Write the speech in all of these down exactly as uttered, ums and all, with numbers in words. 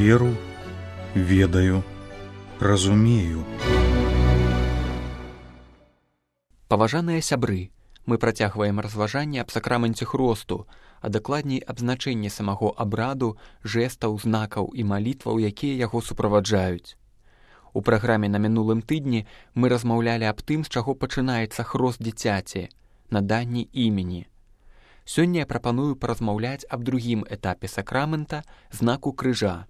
веру, ведаю, разумею. Паважаныя сябры, мы працягваем разважанне аб сакраменце хросту, а дакладней аб значэнні самого абраду, жэстаў, знакаў і малітваў, якія яго суправаджаюць. У праграме на мінулым тыдні мы размаўлялі аб тым, з чаго пачынаецца хрост дзіцяці, наданні імені. Сёння я прапаную паразмаўляць аб другім этапе сакрамента, знаку крыжа.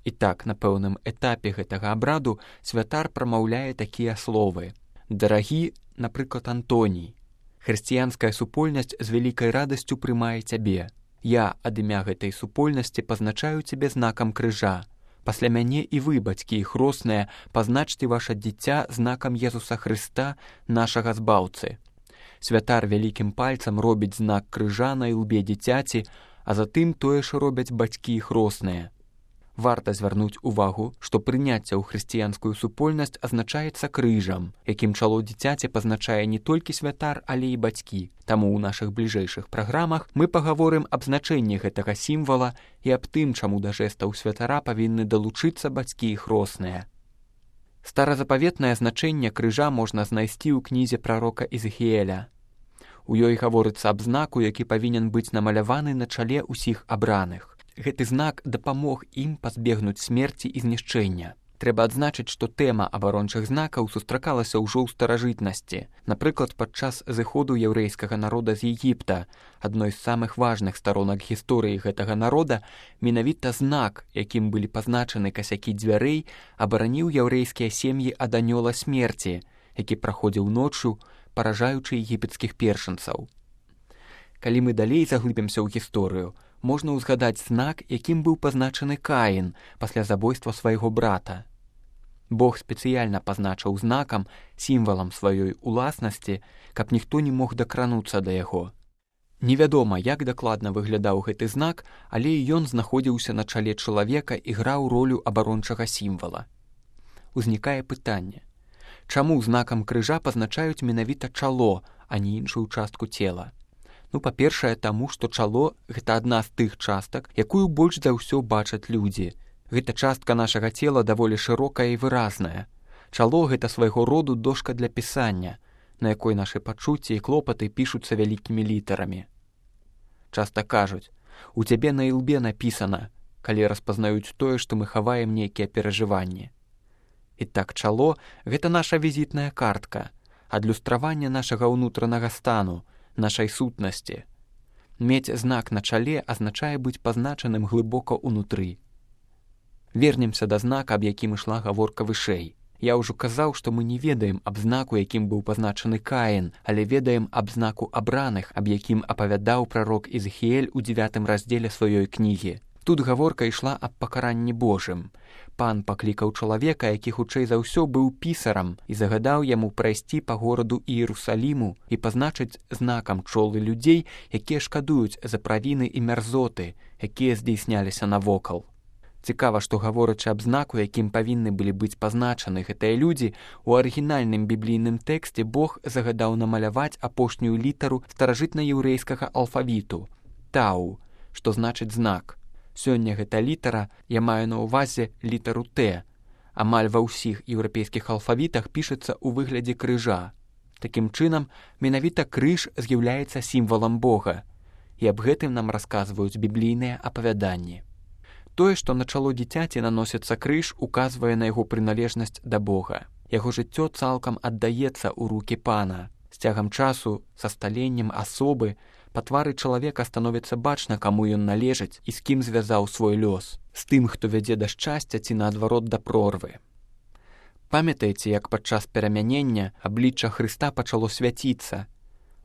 І так, на пэўным этапе гэтага абраду святар прамаўляе такія словы. «Дарагі, напрыклад, Антоній, хрысціянская супольнасць з вялікай радасцю прымае цябе. Я ад імя гэтай супольнасці пазначаю цябе знакам крыжа. Пасля мяне і вы, бацькі і хросныя, пазначце ваша дзіця знакам Езуса Хрыста, нашага збаўцы». Святар вялікім пальцам робіць знак крыжа на ілбе дзіцяці, а затым тое ж робяць бацькі і хросныя. Варта звярнуць увагу, што прыняцце ў хрысціянскую супольнасць азначаецца крыжам, якім чало дзіцяці пазначае не толькі святар, але і бацькі. Таму ў нашых бліжэйшых праграмах мы пагаворым аб значэнні гэтага сімвала і аб тым, чаму да жэстаў святара павінны далучыцца бацькі і хросныя. Старазапаветнае значэнне крыжа можна знайсці ў кнізе прарока Ізахіэля. У ёй гаворыцца аб знаку, які павінен быць намаляваны на чале ўсіх абраных. Гэты знак дапамог ім пазбегнуць смерці і знішчэння. Трэба адзначыць, што тэма абарончых знакаў сустракалася ўжо ў старажытнасці. Напрыклад, падчас зыходу яўрэйскага народа з Егіпта, адной з самых важных старонак гісторыі гэтага народа, менавіта знак, якім былі пазначаны касякі дзвярэй, абараніў яўрэйскія сем'і ад анёла смерці, які праходзіў ноччу, паражаючы егіпецкіх першынцаў. Калі мы далей заглыбімся ў гісторыю, можна ўзгадаць знак, якім быў пазначаны Каін пасля забойства свайго брата. Бог спецыяльна пазначыў знакам, сімвалам сваёй уласнасці, каб ніхто не мог дакрануцца да яго. Невядома, як дакладна выглядаў гэты знак, але ён знаходзіўся на чале чалавека і граў ролю абарончага сімвала. Узнікае пытанне. Чаму знакам крыжа пазначаюць менавіта чало, а не іншую частку цела? Ну, па-першае, таму, што чало – гэта адна з тых частак, якую больш за ўсё бачаць людзі. Гэта частка нашага цела даволі шырокая і выразная. Чало – гэта свайго роду дошка для пісання, на якой нашы пачуцці і клопаты пішуцца вялікімі літарамі. Часта кажуць, у цябе на ілбе напісана, калі распазнаюць тое, што мы хаваем нейкія перажыванні. І так чало – гэта наша візітная картка, адлюстраванне нашага ўнутранага стану, нашай сутнасці. Мець знак на чале азначае быць пазначаным глыбока ўнутры. Вернемся да знака, аб якім ішла гаворка вышэй. Я ўжо казаў, што мы не ведаем аб знаку, якім быў пазначаны Каін, але ведаем аб знаку абраных, аб якім апавядаў прарок Ізахіэль у дзевятым раздзеле сваёй кнігі. Тут гаворка ішла аб пакаранні Божым. Пан паклікаў чалавека, які хутчэй за ўсё быў пісарам, і загадаў яму прайсці па гораду Іерусаліму і пазначыць знакам чолы людзей, якія шкадуюць за правіны і мярзоты, якія здзейсняліся навокал. Цікава, што гаворачы аб знаку, якім павінны былі быць пазначаны гэтыя людзі, у арыгінальным біблійным тэксце Бог загадаў намаляваць апошнюю літару старажытна-еўрэйскага алфавіту – тау, што значыць знак. Сёння гэта літара, я маю на ўвазе літару Т. Амаль ва ўсіх еўрапейскіх алфавітах пішацца ў выглядзе крыжа. Такім чынам, менавіта крыж з'яўляецца сімвалам Бога. І аб гэтым нам расказваюць біблійныя апавяданні. Тое, што на чало дзіцяці наносіцца крыж, указвае на яго прыналежнасць да Бога. Яго жыццё цалкам аддаецца ў рукі Пана. З цягам часу, са сталеннем асобы, па твары чалавека становіцца бачна, каму ён належыць і з кім звязаў свой лёс. З тым, хто вядзе да шчасця ці наадварот да прорвы. Памятаеце, як падчас перамянення аблічча Хрыста пачало свяціцца,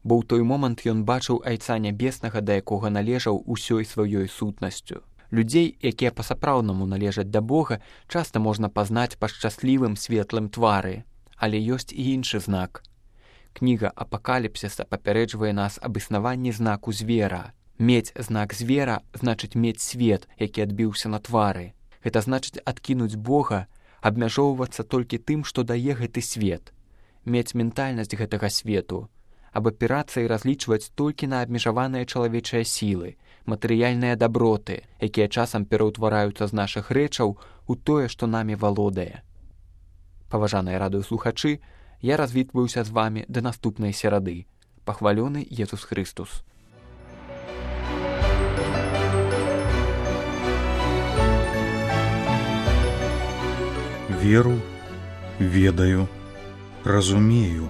бо ў той момант ён бачыў Айца Нябеснага, да якога належаў усёй сваёй сутнасцю. Людзей, якія па-сапраўднаму належаць да Бога, часта можна пазнаць па шчаслівым светлым твары, але ёсць і іншы знак. Кніга Апакаліпсіса папярэджвае нас аб існаванні знаку звера. Мець знак звера значыць мець свет, які адбіўся на твары. Гэта значыць адкінуць Бога, абмяжоўвацца толькі тым, што дае гэты свет. Мець ментальнасць гэтага свету, абапірацца і разлічваць толькі на абмежаваныя чалавечыя сілы, матэрыяльныя даброты, якія часам пераўтвараюцца з нашых рэчаў у тое, што намі валодае. Паважаныя радыёслухачы, я развітваюся з вамі да наступнай серады. Пахвалёны Езус Христус. Веру, ведаю, разумею.